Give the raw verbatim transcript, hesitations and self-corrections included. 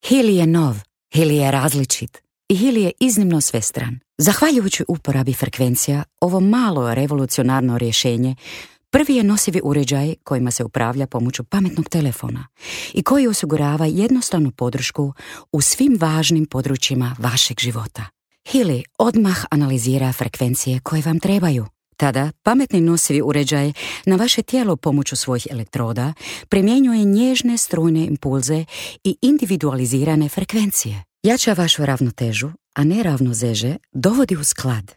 Healy je nov, Healy je različit i Healy je iznimno svestran. Zahvaljujući uporabi frekvencija, ovo malo revolucionarno rješenje prvi je nosivi uređaj kojima se upravlja pomoću pametnog telefona i koji osigurava jednostavnu podršku u svim važnim područjima vašeg života. Healy odmah analizira frekvencije koje vam trebaju. Tada pametni nosivi uređaj na vaše tijelo pomoću svojih elektroda primjenjuje nježne strujne impulze i individualizirane frekvencije. Jača vašu ravnotežu, a neravnoteže dovodi u sklad.